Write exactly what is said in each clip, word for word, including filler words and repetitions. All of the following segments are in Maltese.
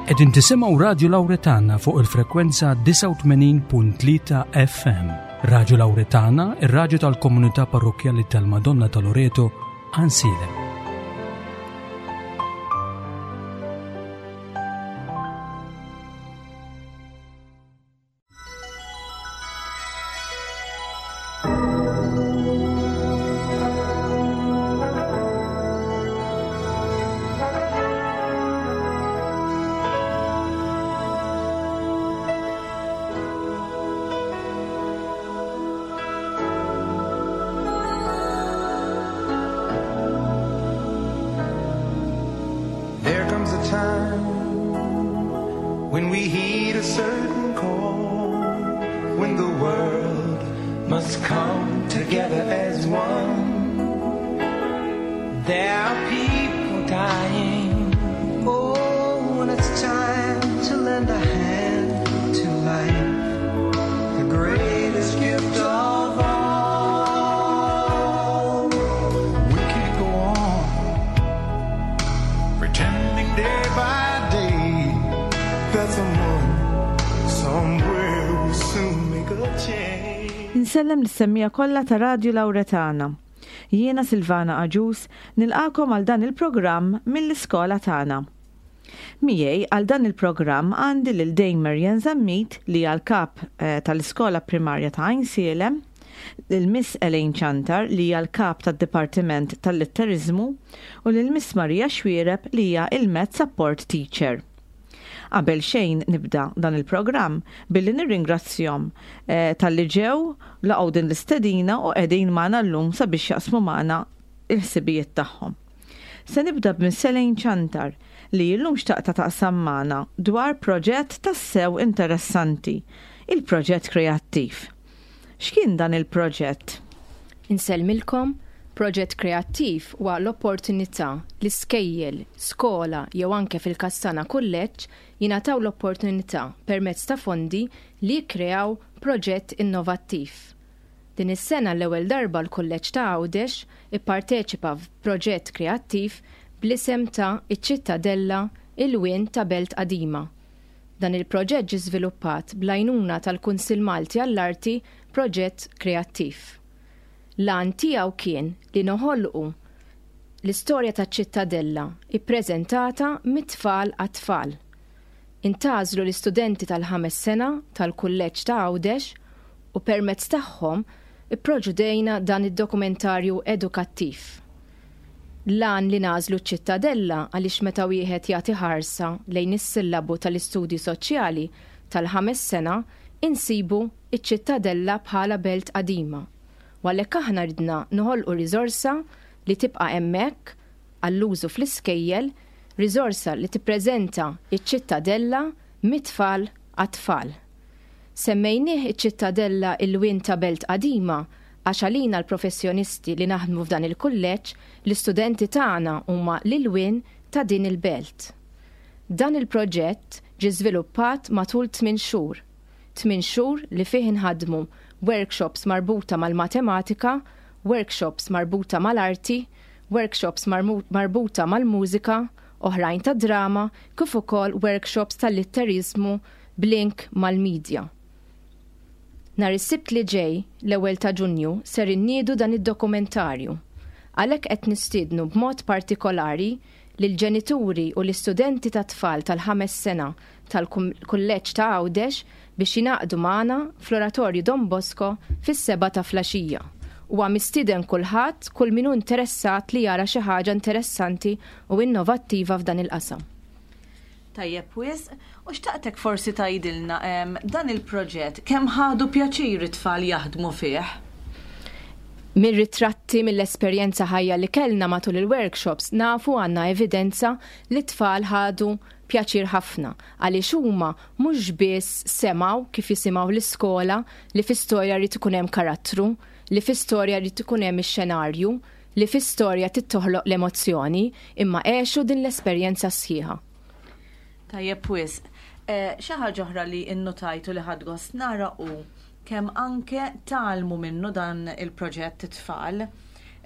Qegħdin tisimgħu Radio Lauretana fuq il-frekwenza disgħa u tmenin punt tlieta F M. Radio Lauretana, ir-raġu tal-komunità parrokjali tal-Madonna ta' Loreto, Għajnsielem. There comes a time when we heed a certain call, when the world must come together as one. There are people dying. Oh, when it's time to lend a hand to life, the greatest gift of all. We can't go on pretending day by day that someone somewhere will soon make a change. Insellem lis-semmiegħa kollha ta' Radio Lauretana. Jiena Silvana Aġus nilqagħkom għal dan il-programm mill-iskola tagħna. Miegħi għal dan il-programm għandi lil Dame Marian Zammit, li hija l-kap eh, tal-iskola primarja ta' Għajnsielem, lil Miss Elaine Ċantar, li hija l-kap tad-Dipartiment tal-Litterizmu, u lil Miss Maria Xwiereb, li hija il-Math Support Teacher. Qabel xejn nibda dan il-programm billi nirringrazzjahom eh, talli ġew laqgħu din l-istedina u qegħdin magħna llum sabiex jaqsmu magħna il-ħsibijiet tagħhom. Se nibda b'Miss Elaine Ċantar, li llum xtaqta taqsam magħna dwar proġett tassew interessanti, il-proġett kreattiv. X'kien dan il-proġett? Insellmilkom. Proġett kreattiv huwa l-opportunità li skejjel, skola jew anke fil-każ tagħna kulleġġ jingħataw l-opportunità permezz ta' fondi li jikkreaw proġett innovattiv. Din is-sena l-ewwel darba l-Kulleġġ ta' Għawdex ipparteċipa f'proġett kreattiv bl-isem ta' Iċ-Ċittadella, Ilwien ta' Belt Qadima. Dan il-proġett ġi żviluppat bl-għajnuna tal-Kunsill Malti għall-Arti, Proġett Kreattiv. L-għan tiegħu kien li noħolqu l-istorja taċ-Ċittadella ippreżentata mit-tfal għat-tfal. Intgħażlu l-istudenti tal-ħames sena tal-Kulleġġ ta' Għawdex u permezz tagħhom ipproduċejna dan id-dokumentarju edukattiv. L-għan li nagħżlu ċ-Ċittadella għaliex meta wieħed jagħti ħarsa lejn is-sillabu tal-istudji soċjali tal-ħames sena, insibu iċ-Ċittadella bħala belt qadima. U għalhekk aħna ridna noħolqu riżorsa li tibqa' hemmhekk għall-użu fl-iskejjel, riżorsa li tippreżenta iċ-Ċittadella mit-tfal għat-tfal. Semmejnieh Iċ-Ċittadella, Ilwien ta' Belt Qadima għax għalina l-professjonisti li naħdmu f'dan il-kulleġġ, l-istudenti tagħna huma l-ilwien ta' din il-belt. Dan il-proġett ġi żviluppat matul tmien xhur. Tmien xhur li fih inħadmu workshops marbuta mal-matematika, workshops marbuta mal-arti, workshops marbuta mal-mużika, oħrajn ta' drama, kif ukoll workshops tal-litterizmu b'link mal-medja. Nhar is-Sibt li ġej, l-ewwel ta' Ġunju, ser inniedu dan id-dokumentarju. Għalhekk qed nistiednu b'mod partikolari lil ġenituri u l-istudenti ta' tfal tal-ħames sena tal-Kulleġġ ta' Għawdex biex jingħaqdu magħna fl-Oratorju Don Bosco fis-sebgħa ta' filgħaxija. Huwa mistieden kulħadd, kull min hu interessat li jara xi ħaġa interessanti u innovattiva f'dan il-qasam. Tajjeb wisq, u xtaqtek forsi tgħidilna em, dan il-proġett kemm ħadu pjaċir it-tfal jaħdmu fih? Mir-ritratti, mill-esperjenza ħajja li kellna matul il-workshops, nafu, għandna evidenza li t-tfal ħadu pjaċir ħafna għaliex huma mhux biss semgħu, kif jisimgħu l-iskola, li fi storja jrid ikun hemm karattru, li fi storja jrid ikun hemm ix-xenarju, li fi storja tittoħloq l-emozzjoni, imma għexu din l-esperjenza sħiħa. Tajjeb wisq. Eh, Xi ħaġa oħra li innotajtu li ħadt gost nara u kemm anke tgħallmu minnu dan il-proġett it-tfal.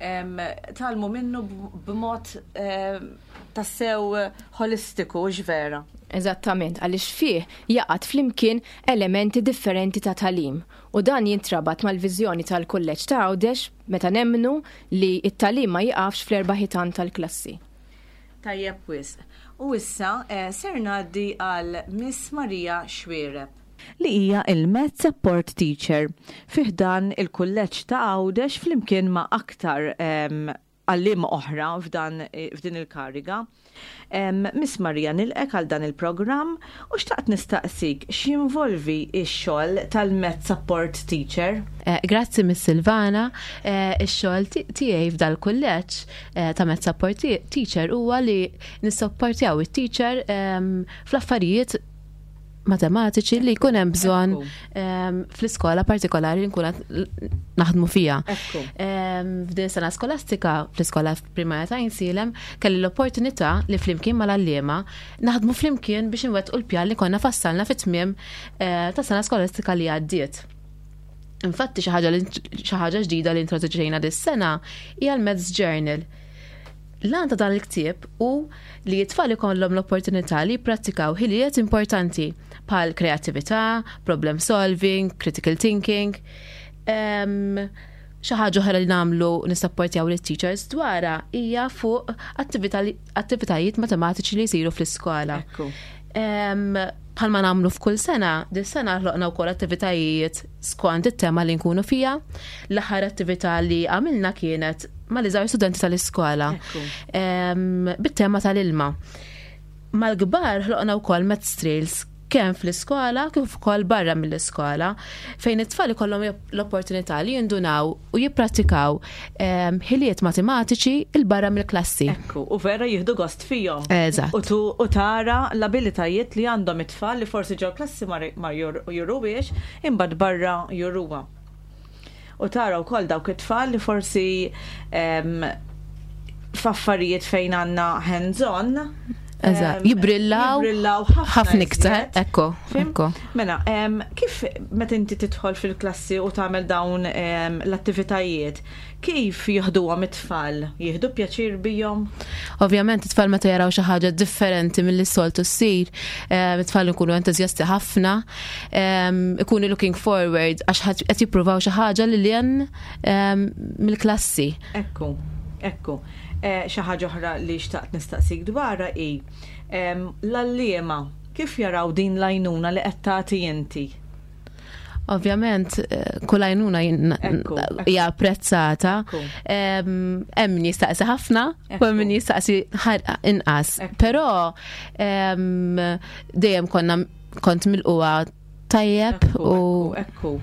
Em, Tgħallmu minnu b- b'mod em, tassew holistiku, vera. Eżattament, għaliex fih jaqgħad flimkien elementi differenti ta' tagħlim u dan jintrabat mal-viżjoni tal-Kulleġġ ta' Għawdex meta nemmnu li t-tagħlim ma jiqafx fl-erba' ħitan tal-klassi. Tajjeb wisq. U issa eh, ser ngħaddi għal Miss Maria Xuereb, li hija il-Math Support Teacher fi ħdan il-Kulleġġ ta' Għawdex flimkien ma' aktar għalliema oħra f'dan f'din il-kariga. Miss Maria, nilqgħek għal dan il-programm u xtaqt nistaqsik x'jinvolvi x-xogħol tal-Math Support Teacher. Eh, grazzi Miss Silvana, eh, ix-xogħol tiegħi f'dal-kulleġġ eh, ta' Math Support Teacher huwa li nissapportjaw it-teacher ehm, fl-affarijiet matematiċi li jkun hemm bżonn ehm, fl-iskola partikolari li nkun naħdmu fiha. Ehm, f'din sena skolastika fl-iskola primarja ta' Għajnsielem kelli l-opportunità li flimkien mal-għalliema naħdmu flimkien biex inwettqu l-pjan li konna fassalna fit-tmiem eh, ta' sena skolastika li għaddiet. Infatti xi ħaġa ġdida li introduċejna dis-sena hija l-Maths Journal. L-għan ta' dan il-ktieb hu li t-tfal ikollhom l-opportunità li jipprattikaw ħiliet importanti bħal kreattività, problem solving, critical thinking. Xi ħaġa oħra li nagħmlu nissapportjaw lit-teachers dwarha hija fuq attivitajiet matematiċi li jsiru fl-iskola. Bħalma nagħmlu f'kull sena, dis-sena ħloqna wkoll attivitajiet skont it-tema li nkunu fija. L-aħħar attività li għamilna kienet mal-iżgħar studenti tal-iskola bit-tema tal-ilma. Mal-kbar ħloqna wkoll maths trails kemm fl-iskola kif ukoll barra mill-iskola fejn it-tfal ikollhom l-opportunità li jindunaw u jipprattikaw ħiliet matematiċi 'il barra mill-klassi. Ekku, u vera jieħdu gost fihom. Eżatt. U tara l-abilitajiet li għandhom it-tfal li forsi ġol klassi ma juruwiex imbagħad barra juruha. U tara wkoll dawk it-tfal li forsi f'affarijiet fejn għandna hands-on. Eżatt, jibrillaw ħafna iktar, ekku, ekku. Mela, kif meta inti tidħol fil-klassi u tagħmel dawn l-attivitajiet, kif jieħduhom it-tfal? Jieħdu pjaċir bihom? Ovvjament it-tfal meta jaraw xi ħaġa differenti milli soltu ssir, it-tfal ikunu entużjasti ħafna, ikunu looking forward għax qed jippruvaw xi ħaġa li lil hinn mill-klassi. Ekku, ekku. Xi ħaġa oħra li xtaqt nistaqsik dwarha hi l-għalliema kif jaraw din l-għajnuna li qed tagħti inti? Ovvjament, kull għajnuna hija apprezzata. Hemm min jistaqsi ħafna u hemm min jistaqsi inqas. Però dejjem konna kont milquha tajjeb u ekku.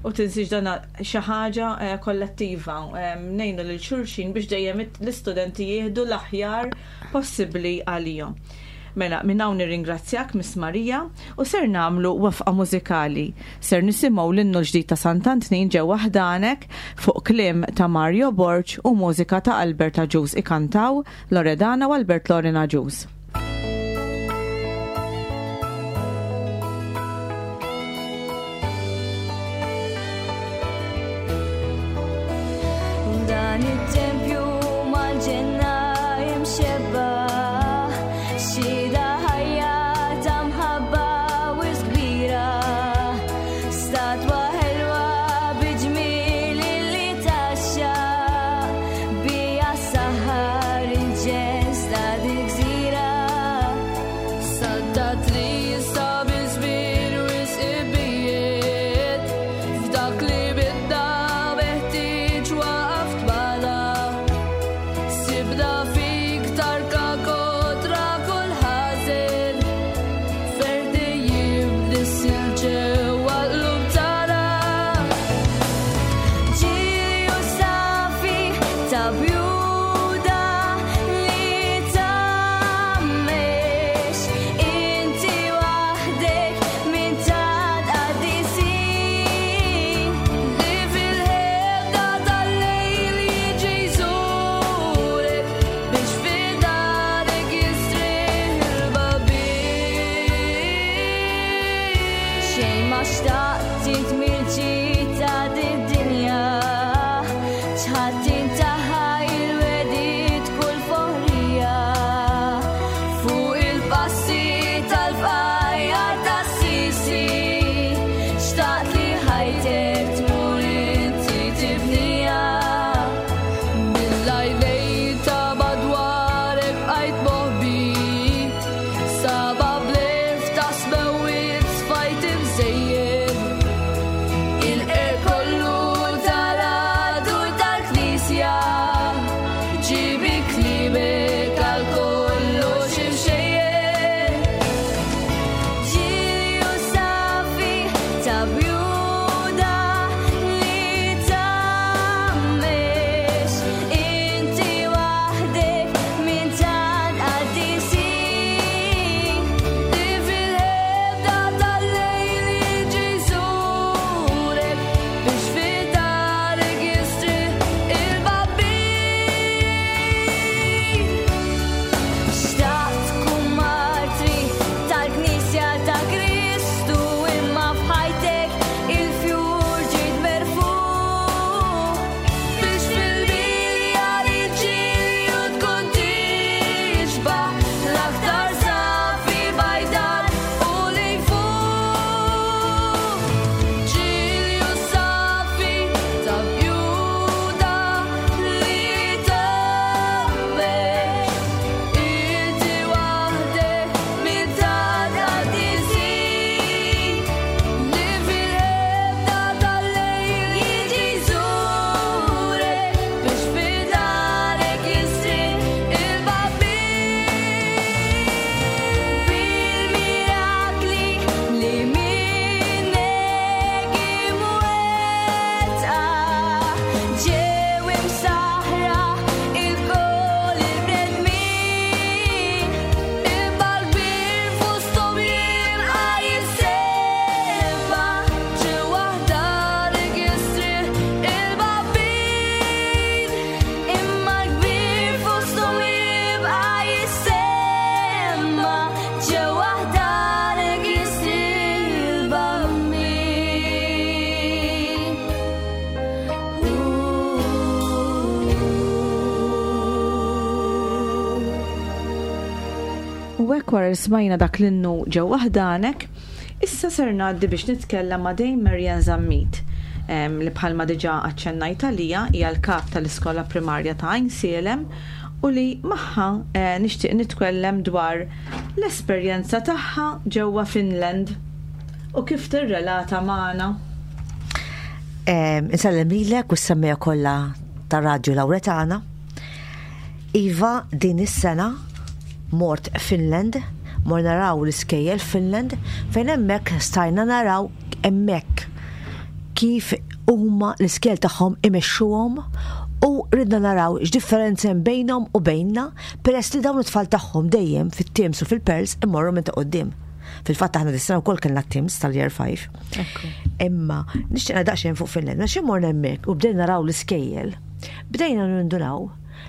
U tinsiex dan xi ħaġa kollettiva, ngħinu lil xulxin biex dejjem l-istudenti jieħdu l-aħjar possibbli għalihom. Mela, minn hawn nirringrazzjak Miss Marija u ser nagħmlu waqfa mużikali. Ser nisimgħu l-innu ġdid ta' Sant'Antnin ġewwa ħdanek fuq kliem ta' Mario Borg u mużika ta' Albert Agius, ikantaw Loredana u Albert Loren Agius. Dan it-tempju mal-ġenna imxebba, xhieda ħajja ta' mħabba wisq kbira, statwa ħelwa bi ġmiel li taxxa, bija saħar il-ġens ta' dik gżira. Saddat li jista' bil-żmien wisq ibijiet, f'dak li bidda meħtieġ waqaft magħna. Sibna fik tarka kontra kull ħażin, ferdi jibnissil ġewwa l-qlub tagħna. Ġilju safi ta' bjuda li tgħammex, inti waħdek minn ta' qaddisin. Li fil-ħedda tal-lejl jiġi jżurek biex fi U hekk wara li smajna dak l-innu "Ġewwa Ħdanek", issa ser ngħaddi biex nitkellem ma' Dame Marian Zammit, em, li bħalma diġà aċċennajt għalija hija l-kap tal-iskola primarja ta' Għajnsielem u li magħha eh, nixtieq nitkellem dwar l-esperjenza tagħha ġewwa Finland u kif tirrelata magħna. Insellem lilek u s-semmiegħa kollha ta' Radio Lauretana. Iva, din is-sena mort Finland, mort naraw l-iskejjel Finland, fejn hemmhekk stajna naraw hemmhekk kif huma l-iskejjel tagħhom imexxuhom u ridna naraw x'differenza hemm bejnhom u bejnna, peress li dawn it-tfal tagħhom dejjem fit-TIMSS u fil-PIRLS imorru minn ta' quddiem. Fil-fatt aħna dis-sena wkoll kellna TIMSS tal-Year five. Imma nixtieq daqsxejn fuq Finland, għax morna hemmhekk u bdejna naraw l-iskejjel. Bdejna nindunaw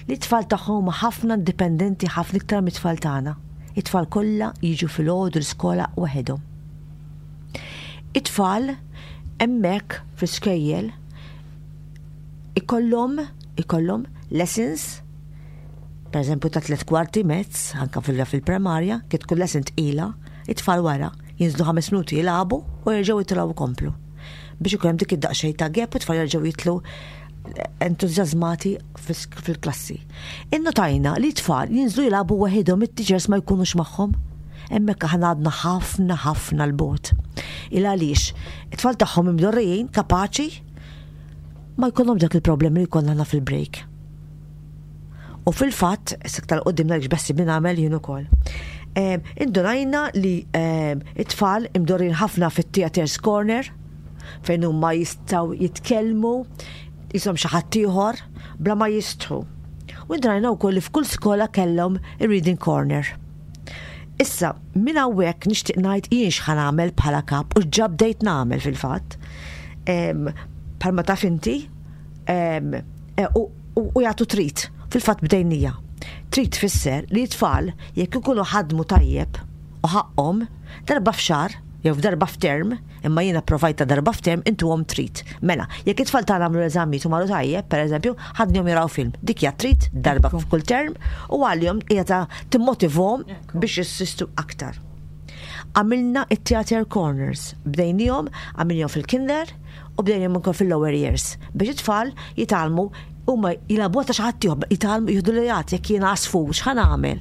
li t-tfal tagħhom huma ħafna indipendenti, ħafna iktar mit-tfal tagħna. It-tfal kollha jiġu filgħodu l-iskola waħedhom. It-tfal hemmhekk fl-iskejjel ikollhom ikollhom lessons, per eżempju ta' tliet kwarti maths, anka fil- fil-primarja, kif tkun lesson tqila, it-tfal wara jinżlu ħames minuti jilagħbu u jerġgħu jitilgħu komplu. Biex ikun hemm dik id-daqsxejn ta' gap u t-tfal jerġgħu jitilgħu entużjażmati fil-klassi. Innotajna li t-tfal jinżlu jilagħbu waħedhom, it-teachers ma jkunux magħhom. Hemmhekk aħna għadna ħafna ħafna 'l bogħod. Il għaliex it-tfal tagħhom imdorrijin kapaċi ma jkollhom dak il-problemi li jkollna aħna fil-break. U fil-fatt, iktar 'il quddiem ngħidlek x'beħsiebni nagħmel jien ukoll. Em, Indunajna li em, it-tfal imdorrin ħafna fit-theaters corner, fejn huma jistgħu jitkellmu jisom xi ħadd ieħor bla ma jistħu. U indunajna wkoll li f'kull skola kellhom ir-reading corner. Issa, minn hawnhekk nixtieq ngħid jien x'ħa nagħmel bħala kap u ġa bdejt nagħmel fil-fatt. Em, Bħalma taf inti, em, e, u u- u jagħtu treat. Fil-fatt bdejnija. Treat tfisser li t-tfal jekk ikunu ħadmu tajjeb u ħaqhom, darba f'xahar jew f'darba f'term, imma jiena provajta darba f'term, intuhom treat. Mela, jekk it-tfal tagħna għamlu l-eżamijiet u marru tajjeb, pereżempju, ħadnihom jaraw film. Dik hija treat darba f'kull term u għalihom hija ta' timmotivhom biex jissistu aktar. Għamilna it-theater corners, bdejnihom, għamilnihom fil-kinder u bdejnihom ukoll fil-lower years biex it-tfal jitgħallmu huma jilagħbu ta' xi ħadd ieħor, jitgħallmu jieħdu li jgħat jekk jiena għasfur x'ħa nagħmel.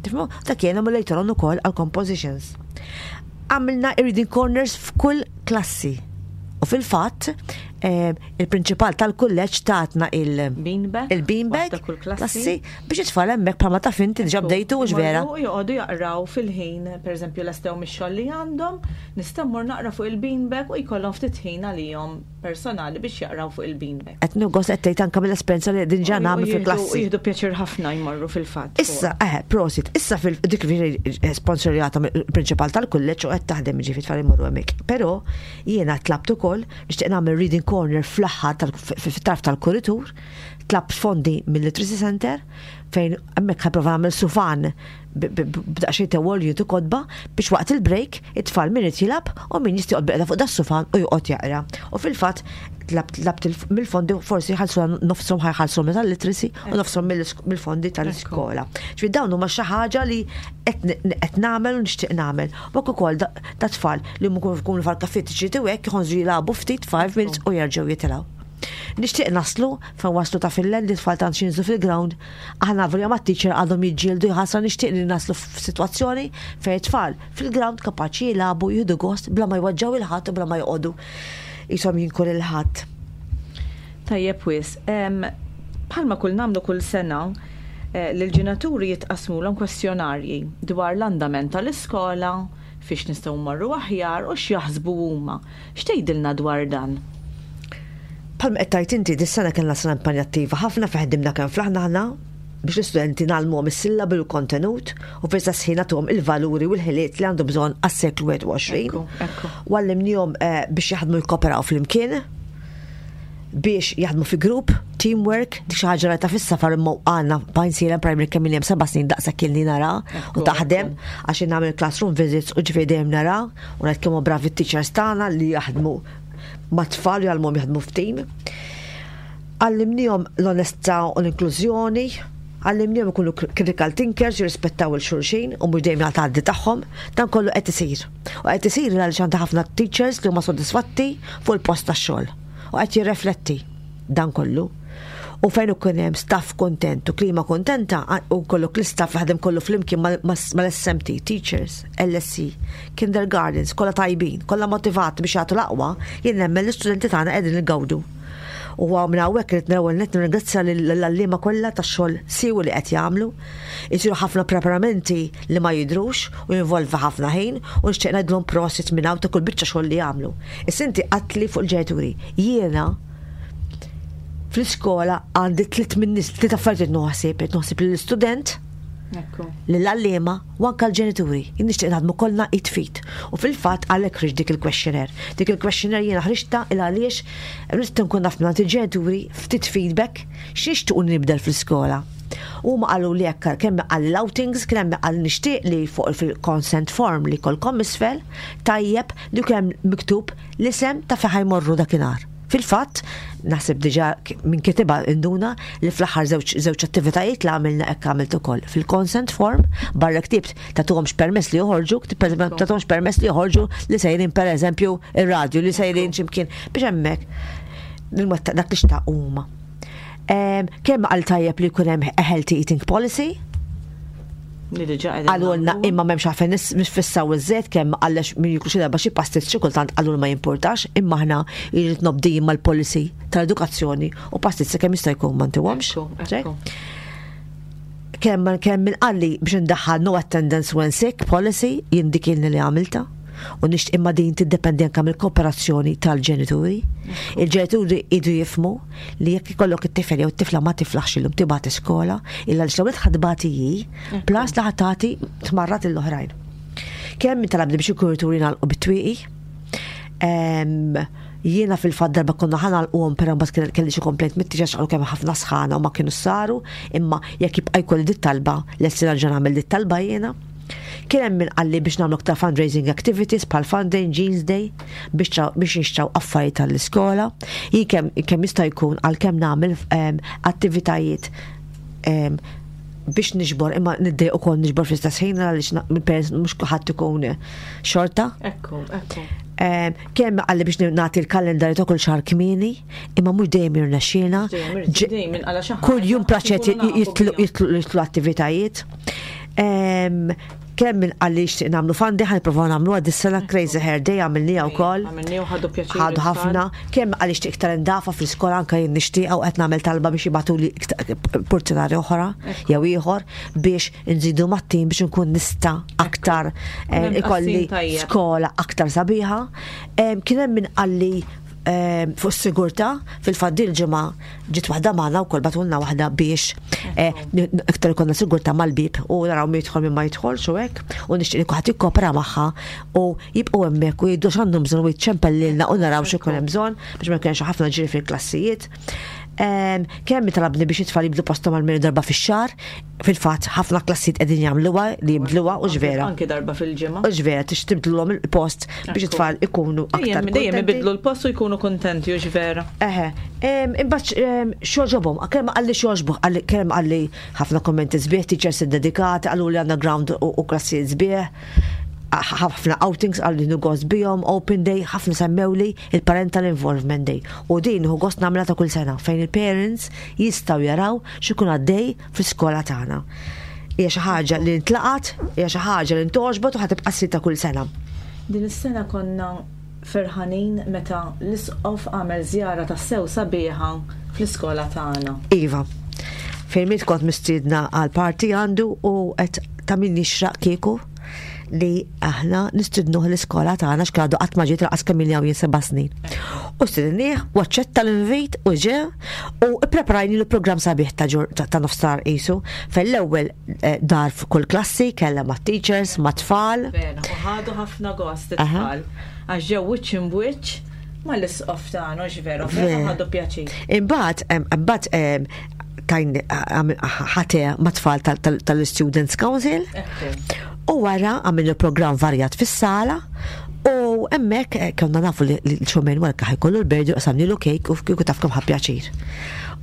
Tifhmu? Dak jgħinhom later on ukoll għal compositions. Għamilna reading corners f'kull klassi. U fil-fatt, eh, il-prinċipal tal-kulleġġ tatna il- Beanbag. il-beanbag Waħda kull klassi. klassi biex it-tfal hemmhekk, bħalma taf inti diġà bdejtu, mhux vera? Imorru joqogħdu jaqraw fil-ħin, pereżempju lestew mix-xogħol li għandhom, nista' mmur naqra fuq il-beanbag u jkollhom ftit ħin għalihom personali biex jaqraw fuq il-beanbag. Qed nugos qed tgħid anke mill-esperjenza li din ġa U- u nagħmel jieħdu- fil-klassi. U jieħdu pjaċir ħafna jmorru fil-fatt. Issa, eh, prosit, issa fil dik sponsorjata mill-prinċipal tal-kulleġġ u qed taħdem, ġifi tfal imorru hemmhekk. Però jiena tlabt ukoll, nixtieq nagħmel reading corner fl-aħħar fit-tarf tal-kuritur, tlabt fondi mill-Literacy Center fejn hemmhekk ħa nipprova nagħmel sufan b'daqsxejn ta' wall u kotba biex waqt il-break it-tfal min irid jilgħab u min jista' joqgħod bilqiegħda fuq das-sufan u joqgħod jaqra. U fil-fatt tlabt tlabt il- mill-fondi, forsi ħalsu nofshom, ħa jħallsu tal-literacy u nofshom mill-fondi tal-iskola. Ġifieri dawn huma xi ħaġa li qed qed nagħmel u nixtieq nagħmel. U ukoll da da tfal li mkun jkunu fal-kafettiċi tiegħek jħonżu jilagħbu ftit five minutes u jerġgħu jitilgħu. Nixtieq naslu fejn waslu ta' Finland, li tfal tant jinżlu fil-ground. Aħna volja ma' teacher għadhom jiġġieldu jħassra, nixtieq li naslu f'sitwazzjoni fejn tfal fil-ground kapaċi jilagħbu, jieħdu gost bla ma jweġġgħu 'l ħadd u bla ma joqogħdu jisom jinku lil ħadd. Tajjeb wisq. Em, Bħalma kull nagħmlu kull sena, eh, l-ġenituri jitqasmulhom kwestjonarji dwar l-andament tal-iskola, fiex nistgħu mmorru aħjar u x'jaħsbu huma. X'tgħidilna dwar dan? Bħalma qed tgħid inti, dis-sena kellna sena impenjattiva ħafna fejn ħdimna kemm flaħna aħna biex l-istudenti ngħallmuhom is-sillabi u l-kontenut u fl-istess ħin nagħtuhom il-valuri u l-ħiliet li għandhom bżonn għas-seklu wieħed u għoxrin. Ekku, ekku. U għallimnihom eh, biex jaħdmu, jikkoperaw flimkien, biex jaħdmu fi grupp, teamwork, dik xi ħaġa ta' fis-safar, imma għandna Għajnsielem Primary kemm hemm seba' snin daqshekk ilni nara u taħdem, għax nagħmel classroom visits u ġifieri dejjem nara u ngħid kemm bravi t-teachers tagħna li jaħdmu ma' tfal u jgħallmuhom jaħdmu f'team. Għallimnihom l-onestà u l-inklużjoni, Għallimnihom ikunu critical thinkers, jirrispettaw il-xulxin u mhux dejjem jagħti tagħhom, dan kollu qed isir. U qed isir għaliex għandha ħafna teachers li huma sodisfatti fuq il-post tax-xogħol. U qed jirrefletti dan kollu. U fejn ikun hemm staff kontent u klima kontenta u kollok l-istaff jaħdem kollu flimkien mal-S M T, teachers, L S C, kindergartens, kollha tajbin, kollha motivati biex jagħtu l-aqwa, jien nemmen l-istudenti tagħna qegħdin igawdu. U minn hawnhekk irid l-ewwel nett nirringrazzja lill-għalliema kollha tax-xogħol siewi li qed jagħmlu. Isiru ħafna preparamenti li ma jidrux u jinvolvi ħafna ħin u nixtieq ngħidlhom prosit minn hawn ta' kull biċċa xogħol li jagħmlu. Issa inti għedtli fuq il-ġenituri. Jiena fl-iskola għandi tliet minn nies, tliet affarijiet noħsib, noħsib lill-istudent, lill-għalliema u anka l-ġenituri. Jien nixtieq naħdmu kollna id f'id. U fil-fatt għalhekk ħriġt dik il-questionnaire. Dik il-questionnaire jiena ħriġtha il għaliex rrid nkun naf minn il-ġenituri ftit feedback x'nixtiequ nibdel fl-iskola. U ma qalu li jekk kemm għall outings, kemm għal nixtieq li fuq fil-consent form li kolkom isfel, tajjeb li kemm miktub l-isem ta' fejn ħa jmorru dakinhar. Fil-fatt, naħseb diġà minn kitibha induna li fl-aħħar żewġ attivitajiet li għamilna hekk għamilt ukoll. Fil-consent form, barra ktibt tagħtuhomx permess li joħorġu, tagħtuhomx permess li joħorġu li sejrin per eżempju ir-radju, li sejrin x'imkien biex hemmhekk dak li xtaq huma. Kemm għal tajjeb li jkun hemm a healthy eating policy, għalulna imma m'hemmx għalfejn nisfissaw iż-żejt, kemm għallex min jiklu xi darba xi pastizz xi kultant għalul ma jimpurtax, imma aħna jrid nobdi mal-policy tal-edukazzjoni u pastizz kemm jista' jkun ma ntiwhomx. Kemm kemm min qalli biex ndaħħal no attendance when sick policy, jien dik li għamilta. U nixtieq imma din tiddependi anke mill-kooperazzjoni tal-ġenituri. Il-ġenituri idu jifhmu li jekk ikollok it-tifel jew it-tifla ma tiflaħx illum tibgħat iskola, illa li xlewet ħadbati hi, plus li ħa tagħti tmarrad l-oħrajn. Kemm min talabni biex il-kurituri nagħlqu bit-twieqi. Jiena fil-fatt darba konna ħa nagħlquhom, però mbagħad kelli xi complaint mit-teachers, qalu kemm ħafna sħana u ma kienu saru, imma jekk jibqa' jkolli dit talba, lesti nerġa' nagħmel dit talba jiena. Kien hemm min qalli biex nagħmlu aktar fundraising activities bħal Fun Day, Jeans Day, biex biex nixtraw affarijiet tal-iskola. Jien kemm kemm jista' jkun għalkemm nagħmel attivitajiet biex niġbor, imma niddejq ukoll niġbor fl-istess ħin għaliex mill-parents mhux kulħadd ikun xorta. Ekku, ekku. Kemm qalli biex nagħti l-kalendarju ta' kull xahar kmieni, imma mhux dejjem jirnexxielna. Kull jum praċet jitlu attivitajiet. Kemm min qalli xtieq nagħmlu fun day, ħa nipprovaw nagħmlu għad is-sena Crazy Hair Day għamilniha wkoll. Ħadu ħafna. Kemm qalli xtieq iktar indafa fl-iskola, anke jien nixtieq u qed nagħmel talba biex jibagħtuli portinari oħra jew ieħor biex nżidu mat-tim biex nkun nista' aktar ikolli skola aktar sabiħa. Kien hemm min qalli fuq s-sigurtà, fil-fatt dil-ġimgħa ġiet waħda magħna wkoll, bagħtulna waħda biex iktar ikollna sigurtà mal-bib u naraw min jidħol, min ma jidħolx u hekk, u nixtieq li kulħadd jikkopera magħha u jibqgħu hemmhekk u jgħidu x'għandhom bżonn u jċempel lilna u naraw x'ikun hemm bżonn biex ma jkunx ħafna ġiri fil-klassijiet. Kemm talabni biex it-tfal jibdlu postom għal darba fix-xahar, fil-fatt ħafna klassijiet qegħdin jagħmluha li jibdluha u ġvera. Anke darba fil-ġimgħa. U ġvera tix tibdluhom il-post biex it-tfal ikunu aktar. Dejjem ibidlu l-post u jkunu kontenti u ġvera. Eħe, imbagħad xogħobhom, kemm qalli xogħobu, kemm qalli ħafna kommenti sbieħ, teachers dedikati, qalu li għandna ground u klassijiet sbieħ, ħafna outings għal li gost bihom, open day, ħafna semmewli il-parental involvement day. U din hu gost nagħmilha ta' kull sena fejn il-parents jistgħu jaraw x'ikun għaddej fl-iskola tagħna. Hija xi ħaġa li ntlaqat, hija xi ħaġa li ntogħġbot u ħa tibqa' ssir ta' kull sena. Din is-sena konna ferħanin meta l-isqof għamel żjara ta' sew sabiħa fl-iskola tagħna. Iva. Fejn kont mistiedna għal party għandu u qed ta' min jixraq kieku li aħna nistidnuh l-iskola tagħna x'għadu qatt ma ġiet lanqas kemm jien seba' snin. U stidinnieh u aċċetta l-invit u ġe u ppreparajni l-programm sabiħ ta' ta' nofsar qisu fejn l-ewwel eh, dar f'kull klassi kellha ma' teachers, ma' tfal. U ħadu ħafna gost it-tfal. Għax ġew wiċċ imbwiċċ ma' l-isqof tagħna, veru, ħadu pjaċir. Imbagħad imbagħad tajn ħate ma' tfal tal-Students Council. U wara għamilna program varjat fis-sala u U hemmhekk eh, konna nafu li l-Charmaine Walka ħa jkollu l-birthday, qsamnilu cake u kieku taf kemm ħa pjaċir.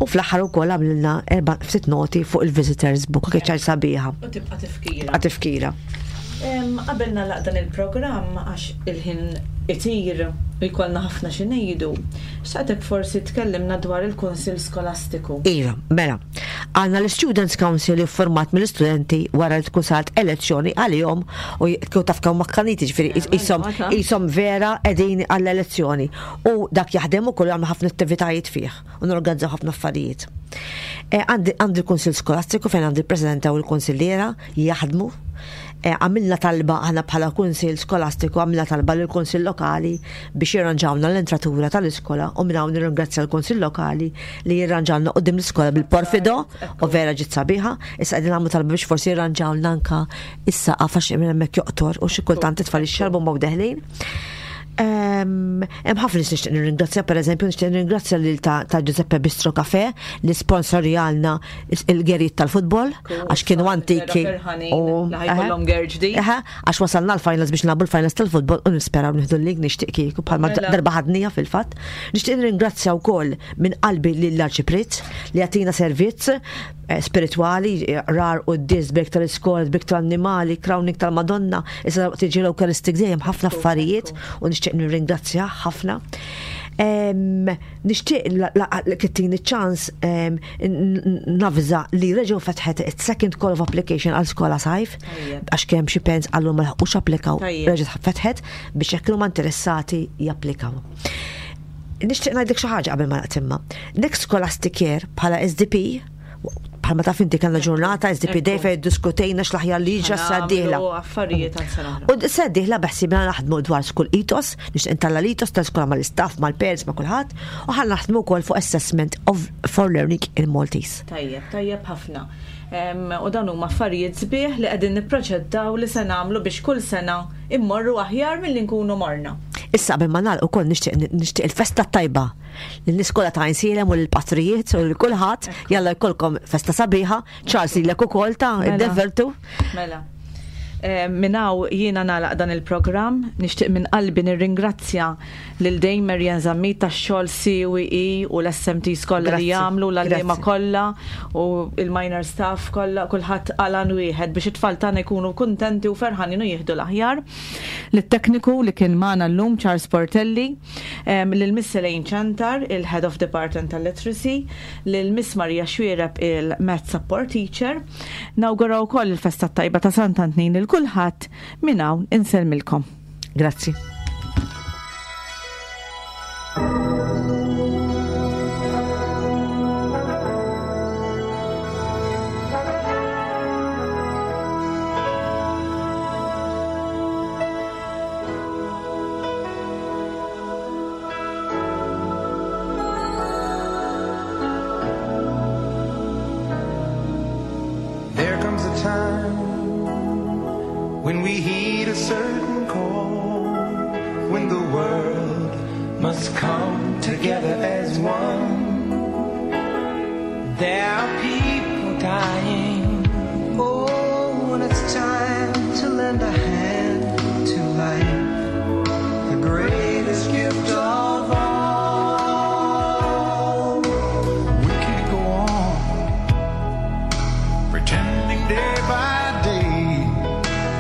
U fl-aħħar ukoll għamlilna erba' ftit noti fuq il-visitors book, kienet ċar sabiħa. U tibqa' tifkira. Tibqa' tifkira. Qabel nagħlaq dan il-programm, għax il-ħin itir u jkollna ħafna xi ngħidu, xtaqtek forsi tkellimna dwar il-Kunsill Skolastiku. Iva, mela, għandna l-Students Council format mill-istudenti wara li tkun saret elezzjoni għalihom u kieku taf kemm makkaniti, ġifieri jisom jisom vera qegħdin għall-elezzjoni. U dak jaħdem ukoll, għamlu ħafna attivitajiet fih u norganizzaw ħafna affarijiet. Eh, Għandi għandi l-Kunsill Skolastiku fejn għandi l-Presidenta u l-Kunsilliera jaħdmu. Eh, Għamilna talba aħna bħala Kunsill Skolastiku, għamilna talba lill kunsill Lokali biex jirranġawna l-entratura tal-iskola u minn hawn nirringrazzja l-Kunsill Lokali li jirranġawna quddiem l-iskola bil-porfido u vera ġiet sabiħa. Issa qegħdin nagħmlu talba biex forsi jirranġawna anka is-saqaf għax minn hemmhekk joqtor u xi kultant it-tfal ixxarbu ma deħlin. Hemm ħafna nies nixtieq nirringrazzja, pereżempju nixtieq nirringrazzja lil ta' ta' Giuseppe Bistro Cafe li sponsorjalna il-gerijiet tal-futbol għax kienu antiki. U li ħa jkollhom ger ġdid. Eħe, għax wasalna l-finals biex nilagħbu l-finals tal-futbol u nisperaw nieħdu l-league, nixtieq kieku bħalma Mela. darba ħadnija fil-fatt. Nixtieq nirringrazzja wkoll minn qalbi lill-Arċipriet li jagħtina servizz eh, spirituali, eh, rar u d-dis, brik tal-iskola, brik tal-annimali, crowning tal-Madonna, issa tiġi l-Eucharistic dejjem, ħafna affarijiet u nixtieq nirringrazzja ħafna. Em, Nixtieq li tini ċans em, n- n- navża li reġgħu fetħet it-second call of application għal skola sajf, Tajjeb. għax kemm xi parents qallu ma laħqux applikaw, Tajjeb. reġgħet fetħet biex jekk huma interessati japplikaw. Nixtieq ngħidlek xi ħaġa qabel ma naqtimma. Next scholastic year bħala S D P, bħalma taf inti kellna ġurnata S D P Day fejn diskutejna x'l-aħjar li ġa sa dieħla. Nagħmlu affarijiet għal sena oħra. U sa dieħla beħsibna naħdmu dwar school ethos, nixtieq intella l-ethos tal-skola mal-istaff, mal-parents, ma' kulħadd, u ħa naħdmu wkoll fuq assessment of for learning in Maltese. Tajjeb, tajjeb ħafna. Em, U dawn huma affarijiet sbieħ li qegħdin nipproċeddaw li se nagħmlu biex kull sena immorru aħjar milli nkunu morna. Issa qabel ma nagħlaq ukoll nixtieq nixtieq il-festa tajba lill-iskola ta' Għajnsielem u lill-patrijiet u lil kulħadd, jalla jkollkom festa sabiħa, Charles, lilek ukoll ta' Mela. id-devertu. Mela. Eh, Minn hawn jiena nagħlaq dan il-programm, nixtieq minn qalbi nirringrazzja lil Dame Marian Zammit tax-xogħol C W E u l-S M Ts kollha li Grazzi, jagħmlu, l-għalliema grazzi. kollha u il-minor staff kollha, kulħadd għalan wieħed biex it-tfal tagħna jkunu kuntenti u ferħanin u jieħdu l-aħjar. Lit-tekniku li kien magħna llum Charles Portelli, em, lil Miss Elaine Chantar, il-Head of Department tal-Literacy, lil Miss Maria Xwiereb, il-Math Support Teacher. Nawguraw ukoll il-festa tajba ta' Sant'Antnin lil kulħadd, minn hawn insellmilkom. Grazzi. There comes a time when we heed a certain call, when the world must come together as one. There are people dying. Oh, when it's time to lend a hand to life, the greatest gift of all. We can't go on pretending day by day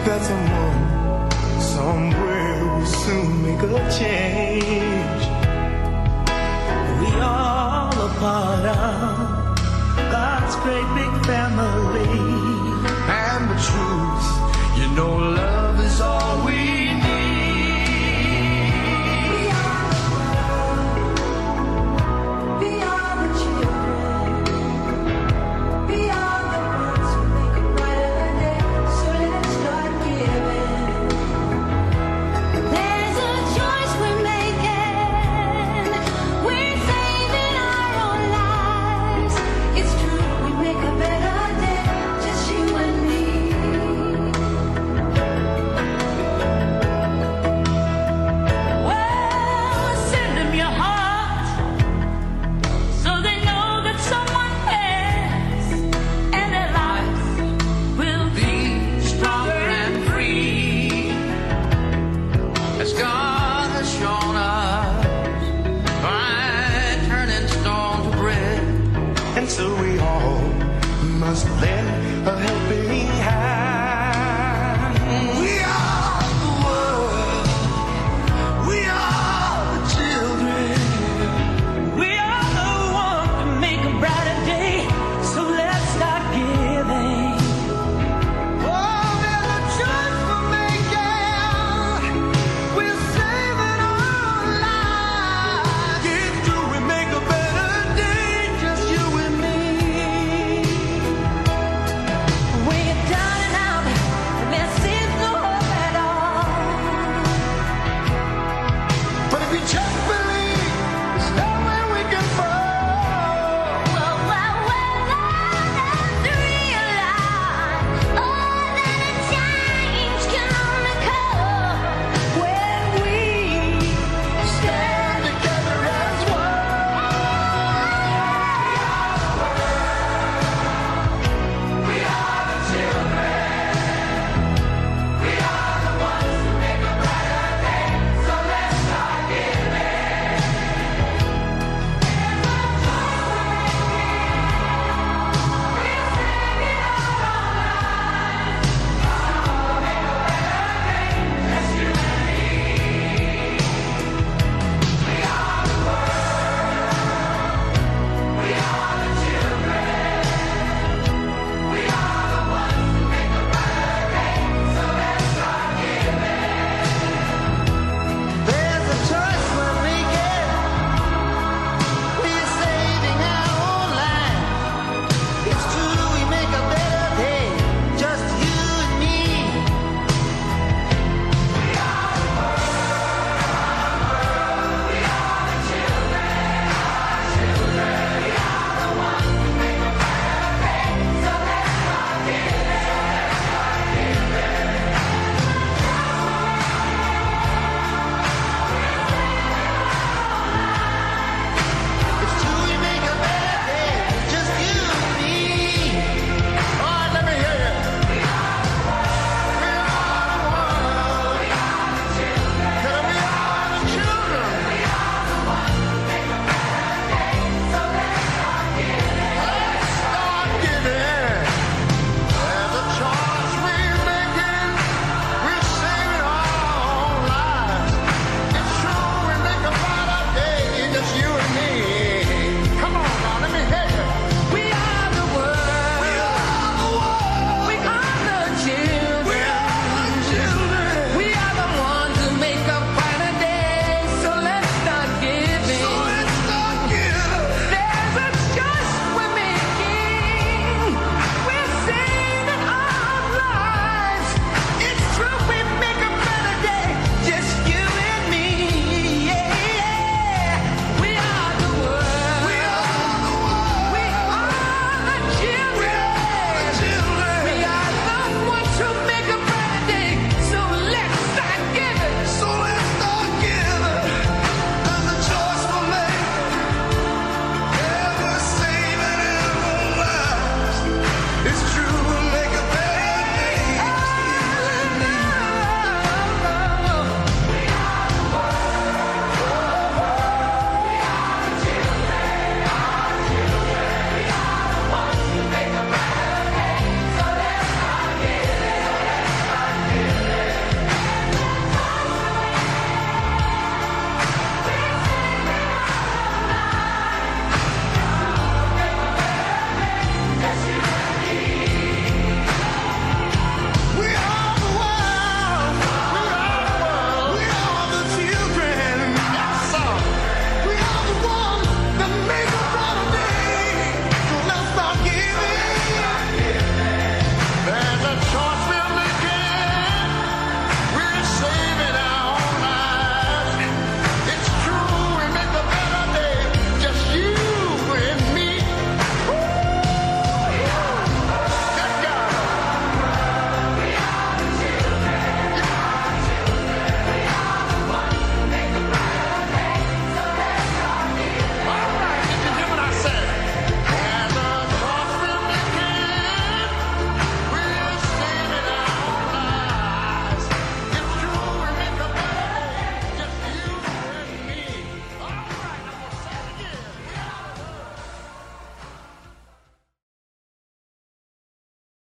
that someone somewhere will soon make a change. We all a part of God's great big family.